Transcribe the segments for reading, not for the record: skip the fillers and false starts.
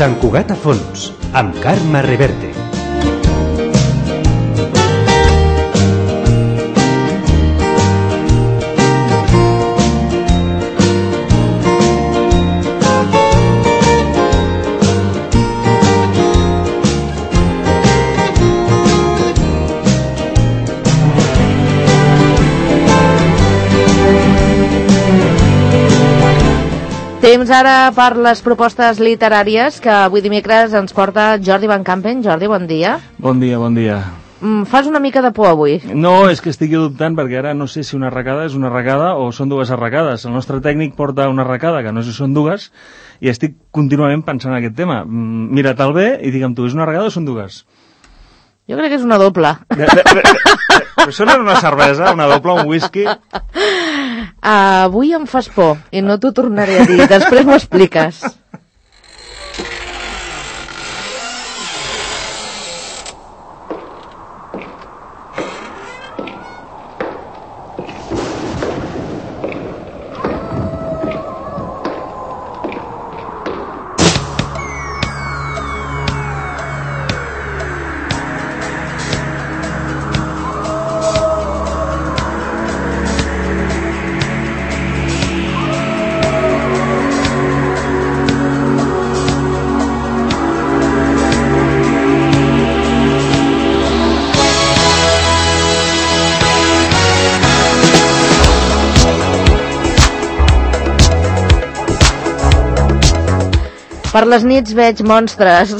Sant Cugat a fons, amb Carme Reverte. Temps ara per les propostes literàries que avui dimecres ens porta Jordi Van Campen. Jordi, bon dia. Bon dia, bon dia. Fas una mica de por avui. No, és que estic dubtant perquè ara no sé si una arracada és una arracada o són dues arracades. El nostre tècnic porta una arracada, que no sé si són dues, i estic contínuament pensant en aquest tema. Mira-te'l bé i digue'm tu, és una arracada o són dues? Jo crec que és una doble. Però això no era una cervesa, una doble, un whisky? Avui em fas por i no t'ho tornaré a dir. Després m'ho expliques. Per les nits veig monstres.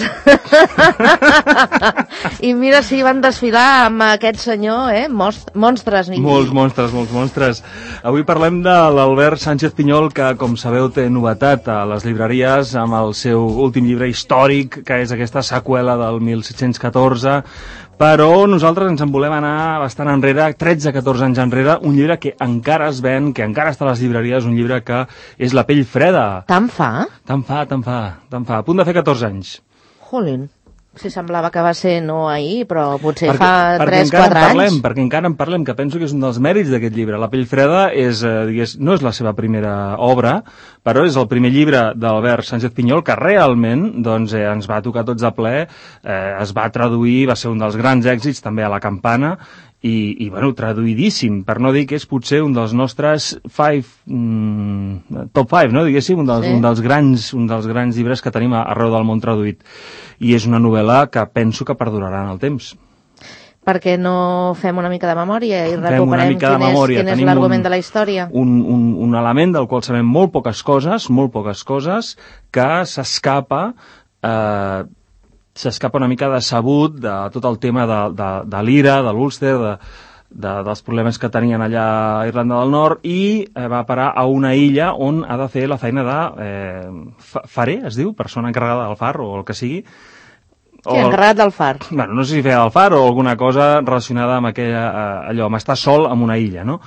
I mira si van desfilar amb aquest senyor, monstres. Molts monstres. Avui parlem de l'Albert Sánchez Pinyol, que, com sabeu, té novetat a les llibreries amb el seu últim llibre històric, que és aquesta seqüela del 1714, però nosaltres ens en volem anar bastant enrere, 13-14 anys enrere, un llibre que encara es ven, que encara està a les llibreries, un llibre que és La pell freda. Tant fa? Tant fa. A punt de fer 14 anys. Jolín. Si semblava que va ser no ahir, però potser fa 3-4 anys. Perquè encara en parlem, que penso que és un dels mèrits d'aquest llibre. La pell freda no és la seva primera obra, però és el primer llibre d'Albert Sánchez Pinyol que realment ens va tocar tots de ple, es va traduir, va ser un dels grans èxits també a la Campana, i traduïdíssim, per no dir que és potser un dels nostres top 5, no? Diguéssim, un dels grans llibres que tenim arreu del món traduït. I és una novel·la que penso que perdurarà en el temps. Perquè no fem una mica de memòria i recuperem quin és l'argument de la història? Un element del qual sabem molt poques coses, que s'escapa una mica decebut de tot el tema de l'Ira, de l'Ulster, dels problemes que tenien allà a Irlanda del Nord, i va parar a una illa on ha de fer la feina de farer, es diu, persona encarregada del far o el que sigui. Sí, encarregat del far. Bueno, no sé si feia del far o alguna cosa relacionada amb allò, amb estar sol en una illa, no?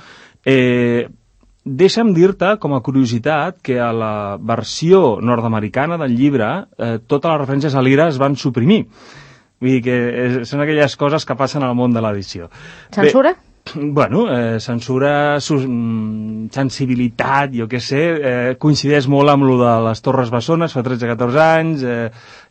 Deixa'm dir-te, com a curiositat, que a la versió nord-americana del llibre totes les referències a l'Ira es van suprimir. Vull dir que són aquelles coses que passen al món de l'edició. Censura? Bueno, censura, sensibilitat, jo què sé, coincideix molt amb lo de les Torres Bessones fa 13-14 anys,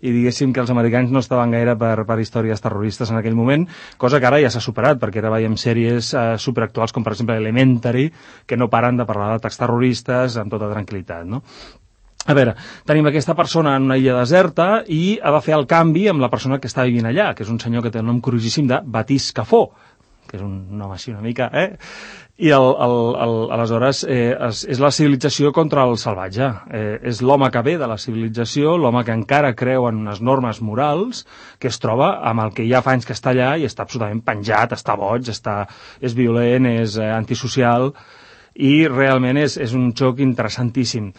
i diguéssim que els americans no estaven gaire per històries terroristes en aquell moment, cosa que ara ja s'ha superat, perquè ara veiem sèries superactuals com per exemple Elementary, que no paren de parlar d'atacs terroristes amb tota tranquil·litat, no? A veure, tenim aquesta persona en una illa deserta i ha de fer el canvi amb la persona que està vivint allà, que és un senyor que té el nom curiosíssim de Baptiste Cafó, que és un nom així una mica, I aleshores és la civilització contra el salvatge. És l'home que ve de la civilització, l'home que encara creu en unes normes morals, que es troba amb el que ja fa anys que està allà i està absolutament penjat, està boig, és violent, és antisocial, i realment és un xoc interessantíssim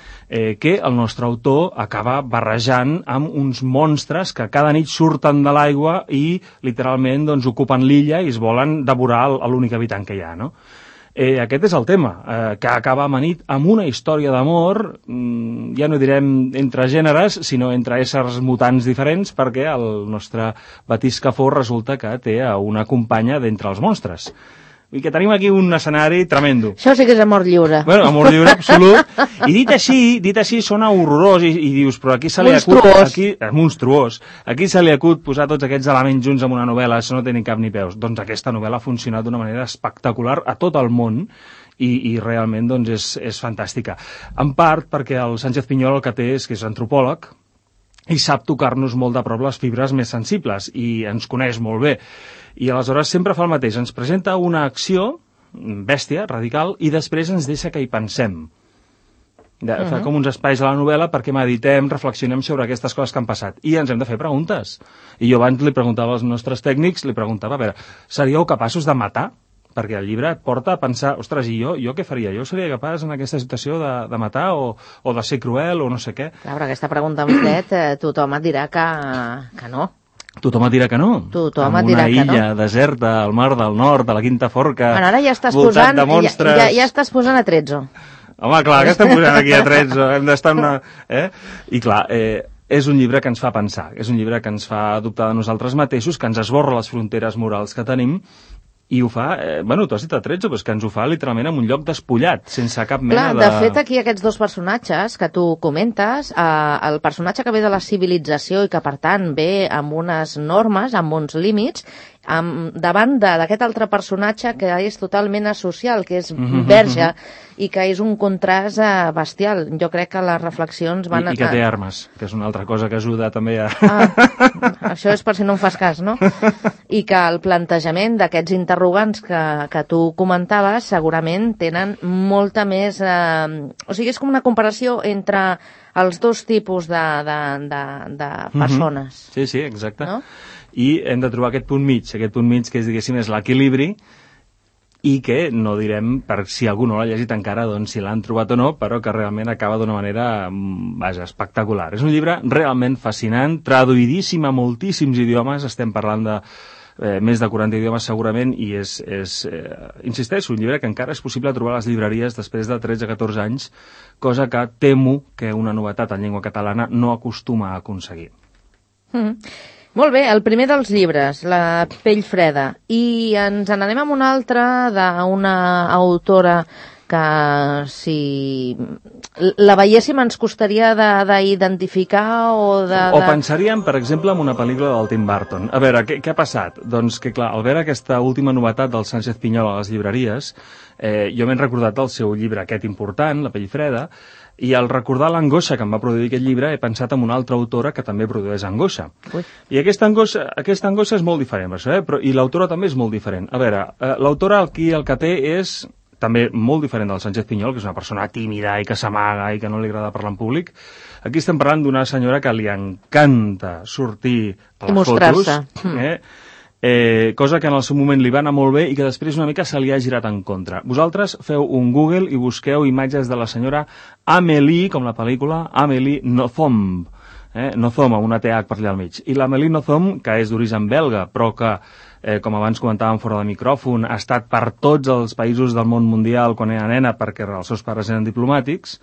que el nostre autor acaba barrejant amb uns monstres que cada nit surten de l'aigua i literalment ocupen l'illa i es volen devorar l'únic habitant que hi ha, no? Aquest és el tema, que acaba amanit amb una història d'amor, ja no direm entre gèneres, sinó entre éssers mutants diferents, perquè el nostre Baptiste Cafó resulta que té una companya d'entre els monstres. I que tenim aquí un escenari tremendo. Això sí que és amor lliure. Bueno, amor lliure absolut. I dit així sona horrorós i dius, però aquí se li acut... Monstruós. Aquí se li acut posar tots aquests elements junts en una novel·la, això no té ni cap ni peus. Doncs aquesta novel·la ha funcionat d'una manera espectacular a tot el món i realment doncs, és fantàstica. En part perquè el Sánchez Piñol el que té és que és antropòleg i sap tocar-nos molt de prop les fibres més sensibles i ens coneix molt bé. I aleshores sempre fa el mateix, ens presenta una acció, bèstia, radical, i després ens deixa que hi pensem. Fa com uns espais a la novel·la perquè meditem, reflexionem sobre aquestes coses que han passat. I ens hem de fer preguntes. I jo abans li preguntava als nostres tècnics, a veure, seríeu capaços de matar? Perquè el llibre et porta a pensar, ostres, i jo què faria? Jo seria capaç en aquesta situació de matar o de ser cruel o no sé què? Clar, però aquesta pregunta en fred, tothom et dirà que no. Tothom et dirà que no. Tothom et dirà que no. En una illa deserta, al mar del nord, a la Quinta Forca, bueno, ara ja estàs voltat de monstres... Ja estàs posant a 13. Home, clar, que estem posant aquí a 13? Hem d'estar en una... I clar, és un llibre que ens fa pensar, és un llibre que ens fa dubtar de nosaltres mateixos, que ens esborra les fronteres morals que tenim, i ho fa, tu has dit a 13, però és que ens ho fa literalment en un lloc despullat, sense cap mena de... Clar, de fet, aquí aquests dos personatges que tu comentes, el personatge que ve de la civilització i que, per tant, ve amb unes normes, amb uns límits, davant d'aquest altre personatge que és totalment asocial, que és verge, i que és un contrast bestial. Jo crec que les reflexions van... I que té armes, que és una altra cosa que ajuda també a... Això és per si no em fas cas, no? I que el plantejament d'aquests interrogants que tu comentaves segurament tenen molta més... O sigui, és com una comparació entre els dos tipus de persones. Sí, exacte. No? I hem de trobar aquest punt mig que és, diguéssim, és l'equilibri, i que no direm, per si algú no l'ha llegit encara, doncs si l'han trobat o no, però que realment acaba d'una manera, espectacular. És un llibre realment fascinant, traduïdíssim a moltíssims idiomes, estem parlant de més de 40 idiomes segurament, i insisteixo, un llibre que encara és possible trobar a les llibreries després de 13-14 anys, cosa que temo que una novetat en llengua catalana no acostuma a aconseguir. Molt bé, el primer dels llibres, La pell freda, i ens n'anem amb un altre d'una autora que si la veiéssim ens costaria d'identificar o O pensaríem, per exemple, en una pel·lícula del Tim Burton. A veure, què ha passat? Doncs que, clar, al veure aquesta última novetat del Sánchez Piñol a les llibreries, jo m'he recordat del seu llibre aquest important, La pell freda, i al recordar l'angoixa que em va produir aquest llibre he pensat en una altra autora que també produeix angoixa. Ui. I aquesta angoixa és molt diferent, per això, i l'autora també és molt diferent. A veure, l'autora aquí el que té és també molt diferent del Sánchez Piñol, que és una persona tímida i que s'amaga i que no li agrada parlar en públic. Aquí estem parlant d'una senyora que li encanta sortir a les fotos, cosa que en el seu moment li va anar molt bé i que després una mica se li ha girat en contra. Vosaltres feu un Google i busqueu imatges de la senyora Amélie, com la pel·lícula, Amélie Nothomb, Nothomb, amb una TH per allà al mig. I l'Amélie Nothomb, que és d'origen belga, però que, com abans comentàvem fora de micròfon, ha estat per tots els països del món mundial quan era nena perquè els seus pares eren diplomàtics,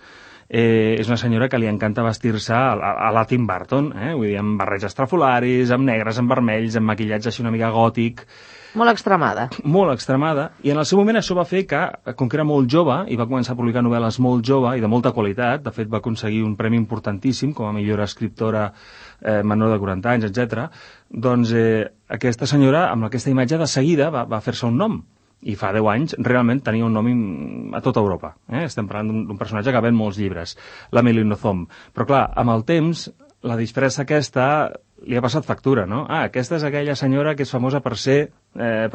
és una senyora que li encanta vestir-se a la Tim Burton, vull dir, amb barrets estrafolaris, amb negres, amb vermells, amb maquillatge així una mica gòtic. Molt extremada. Molt extremada, i en el seu moment això va fer que, com que era molt jove, i va començar a publicar novel·les molt jove i de molta qualitat, de fet va aconseguir un premi importantíssim com a millor escriptora menor de 40 anys, etc. Doncs aquesta senyora, amb aquesta imatge de seguida, va fer-se un nom. I fa 10 anys realment tenia un nom a tota Europa. Estem parlant d'un personatge que ven molts llibres, l'Amélie Nothomb. Però clar, amb el temps, la disfressa aquesta li ha passat factura, no? Aquesta és aquella senyora que és famosa per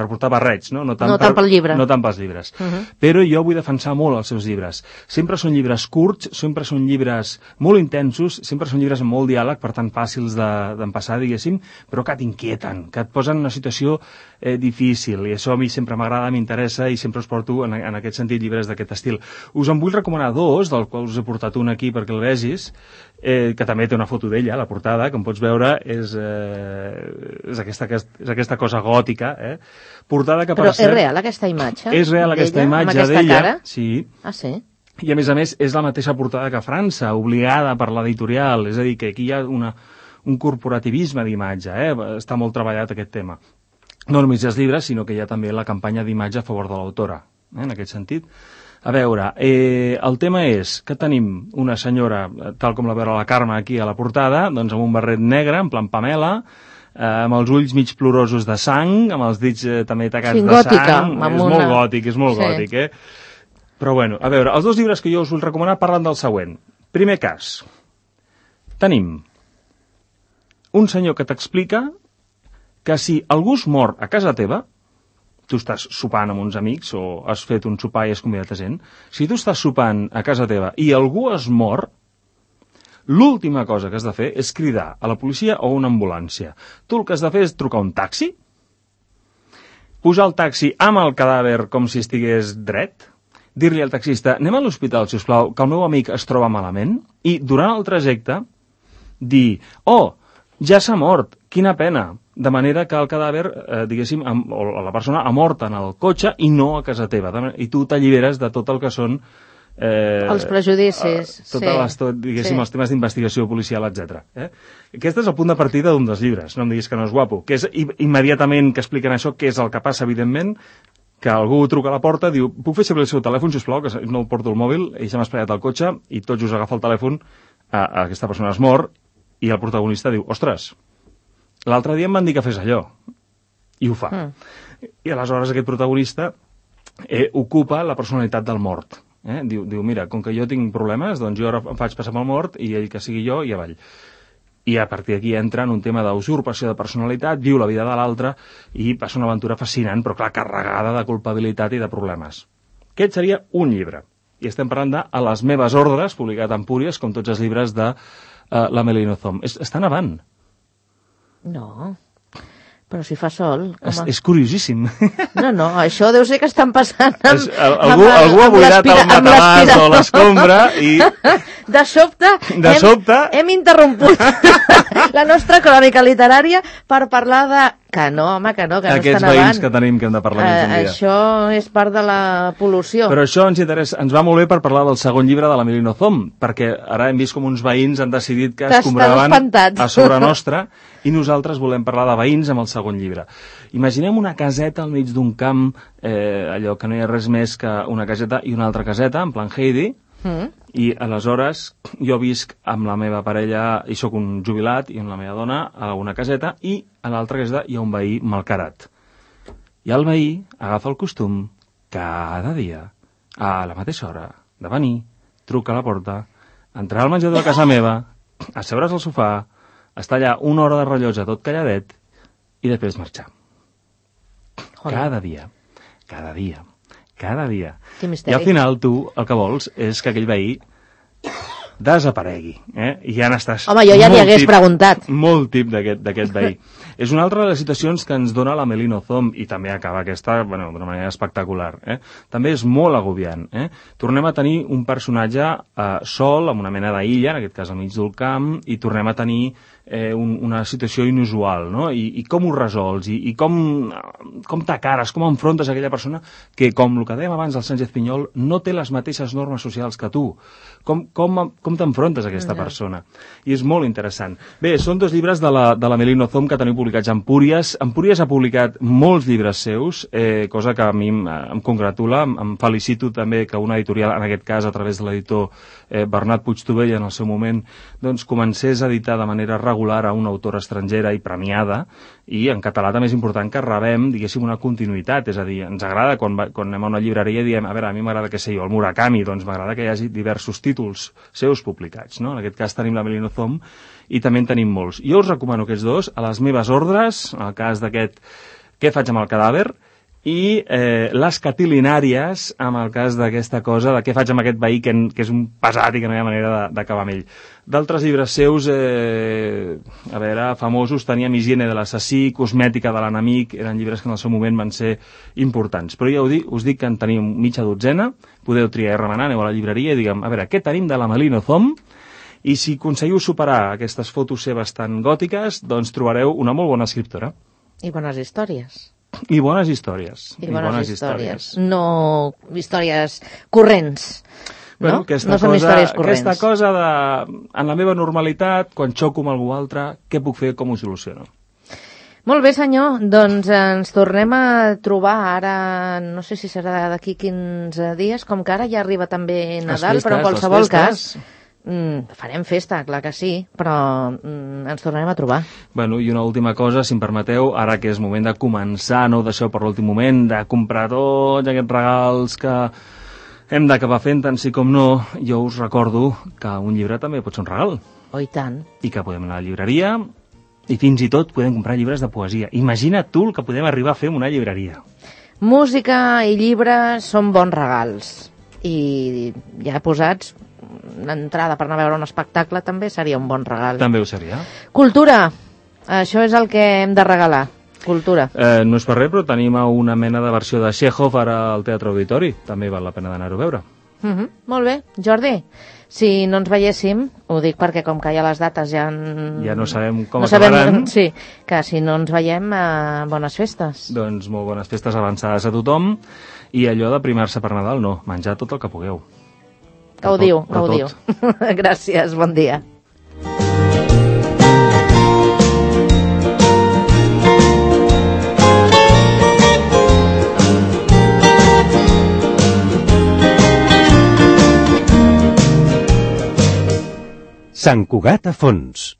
portar barrets, no? No tant pel llibre. No tant pels llibres. Però jo vull defensar molt els seus llibres. Sempre són llibres curts, sempre són llibres molt intensos, sempre són llibres amb molt diàleg, per tant fàcils d'empassar, diguéssim, però que t'inquieten, que et posen en una situació difícil, i això a mi sempre m'agrada, m'interessa, i sempre us porto en aquest sentit llibres d'aquest estil. Us en vull recomanar dos, del qual us he portat un aquí perquè el vegis, que també té una foto d'ella, la portada, com pots veure, és aquesta cosa gòtica, portada que però és real aquesta imatge? És real aquesta imatge d'ella, sí. Ah, sí? I a més és la mateixa portada que França, obligada per l'editorial, és a dir, que aquí hi ha un corporativisme d'imatge, està molt treballat aquest tema. no només els llibres, sinó que hi ha també la campanya d'imatge a favor de l'autora, en aquest sentit. A veure, el tema és que tenim una senyora, tal com la veure la Carme aquí a la portada, doncs amb un barret negre, en plan Pamela, amb els ulls mig plorosos de sang, amb els dits també tacats de sang. És molt gòtic, eh? Però bueno, a veure, els dos llibres que jo us vull recomanar parlen del següent. Primer cas, tenim un senyor que t'explica que si algú es mor a casa teva, tu estàs sopant amb uns amics o has fet un sopar i has convidat a gent, si tu estàs sopant a casa teva i algú es mor, l'última cosa que has de fer és cridar a la policia o una ambulància. Tu el que has de fer és trucar un taxi, posar el taxi amb el cadàver com si estigués dret, dir-li al taxista, anem a l'hospital, sisplau, que el meu amic es troba malament, i durant el trajecte dir, oh, ja s'ha mort, quina pena, de manera que el cadàver, diguéssim, o la persona ha mort en el cotxe i no a casa teva, i tu t'alliberes de tot el que són els prejudicis, diguéssim, els temes d'investigació policial, etc. Aquest és el punt de partida d'un dels llibres, no em diguis que no és guapo, que és immediatament que expliquen això, què és el que passa, evidentment, que algú truca a la porta, diu, puc fer servir el seu telèfon, sisplau, que no el porto al mòbil, ell s'ha espaiat al cotxe, i tots us agafa el telèfon, aquesta persona es mor, i el protagonista diu, ostres, l'altre dia em van dir que fes allò, i ho fa. I aleshores aquest protagonista ocupa la personalitat del mort. Diu, mira, com que jo tinc problemes, doncs jo ara em faig passar pel mort i ell que sigui jo i avall. I a partir d'aquí entra en un tema d'usurpació de personalitat, viu la vida de l'altre i passa una aventura fascinant, però clar, carregada de culpabilitat i de problemes. Aquest seria un llibre. I estem parlant de A les meves ordres, publicat a Empúries, com tots els llibres de la Melino Thom. Està nevant. No, però si fa sol. És curiosíssim. No, això deu ser que estan passant algú ha buidat el matalàs o l'escombra i... De sobte hem interromput la nostra crònica literària per parlar de... Que no, home, que no està nevant. Aquests veïns que tenim que hem de parlar més un dia. Això és part de la pol·lució. Però això ens va molt bé per parlar del segon llibre de la Melino Thom, perquè ara hem vist com uns veïns han decidit que es compraven a sobre nostra i nosaltres volem parlar de veïns amb el segon llibre. Imaginem una caseta al mig d'un camp, allò que no hi ha res més que una caseta i una altra caseta, en plan Heidi, i aleshores jo visc amb la meva parella i sóc un jubilat i amb la meva dona a una caseta i a l'altra caseta hi ha un veí malcarat. I el veí agafa el costum cada dia, a la mateixa hora, de venir, truca a la porta, entrar al menjador de casa meva, asseure's al sofà, estar allà una hora de rellotge tot calladet i després marxar. Cada dia. I al final tu el que vols és que aquell veí desaparegui. I ja n'estàs... Home, jo ja li hagués preguntat. Molt tip d'aquest veí. És una altra de les situacions que ens dona la Melino Thom i també acaba aquesta d'una manera espectacular. També és molt agobiant. Tornem a tenir un personatge sol, amb una mena d'illa, en aquest cas al mig del camp, i tornem a tenir una situació inusual, no? I com ho resols, i com t'acares, com enfrontes aquella persona que, com el que dèiem abans del Sánchez Pinyol, no té les mateixes normes socials que tu. Com t'enfrontes a aquesta persona? I és molt interessant. Bé, són dos llibres de la Melino Thom que teniu publicats a Empúries. Empúries ha publicat molts llibres seus, cosa que a mi em congratula. Em felicito també que una editorial, en aquest cas a través de l'editor Bernat Puigtovell en el seu moment, doncs comencés a editar de manera regular a una autora estrangera i premiada, i en català també és important que rebem, diguéssim, una continuïtat, és a dir, ens agrada quan anem a una llibreria i diem, a veure, a mi m'agrada, què sé jo, el Murakami, doncs m'agrada que hi hagi diversos títols seus publicats, no? En aquest cas tenim la Melino Thom i també en tenim molts. Jo us recomano aquests dos, A les meves ordres, en el cas d'aquest Què faig amb el cadàver, i Les catilinàries, amb el cas d'aquesta cosa de què faig amb aquest veí que és un pesat i que no hi ha manera d'acabar amb ell. D'altres llibres seus, a veure, famosos, teníem Higiene de l'assassí, Cosmètica de l'enemic, eren llibres que en el seu moment van ser importants. Però ja us dic que en tenim mitja dotzena, podeu triar i remenar, aneu a la llibreria i diguem, a veure, què tenim de la Melino Thom? I si aconseguiu superar aquestes fotos seves tan gòtiques, doncs trobareu una molt bona escriptora. I bones històries. I bones històries. No històries corrents. Bueno, aquesta cosa de, en la meva normalitat, quan xoco amb algú altre, què puc fer, com ho soluciono? Molt bé, senyor. Doncs ens tornem a trobar ara, no sé si serà d'aquí 15 dies, com que ara ja arriba també Nadal, però en qualsevol cas farem festa, clar que sí, però ens tornarem a trobar. Bueno, i una última cosa, si em permeteu, ara que és moment de començar, no ho deixeu per l'últim moment, de comprar tots aquests regals que hem d'acabar fent, tant sí com no, jo us recordo que un llibre també pot ser un regal. Oh, i tant. I que podem anar a la llibreria i fins i tot podem comprar llibres de poesia. Imagina't tu el que podem arribar a fer en una llibreria. Música i llibres són bons regals. I ja posats, l'entrada per anar a veure un espectacle també seria un bon regal. També ho seria. Cultura. Això és el que hem de regalar. Cultura. No és per res, però tenim una mena de versió de Chekhov ara al Teatre Auditori. També val la pena d'anar-ho a veure. Molt bé. Jordi, si no ens veiéssim, ho dic perquè com que ja les dates ja no sabem com acabaran. Sí, que si no ens veiem, bones festes. Doncs molt bones festes avançades a tothom i allò de primar-se per Nadal, no, menjar tot el que pugueu. Gaudiu. Gràcies, bon dia. Sant Cugat a fons.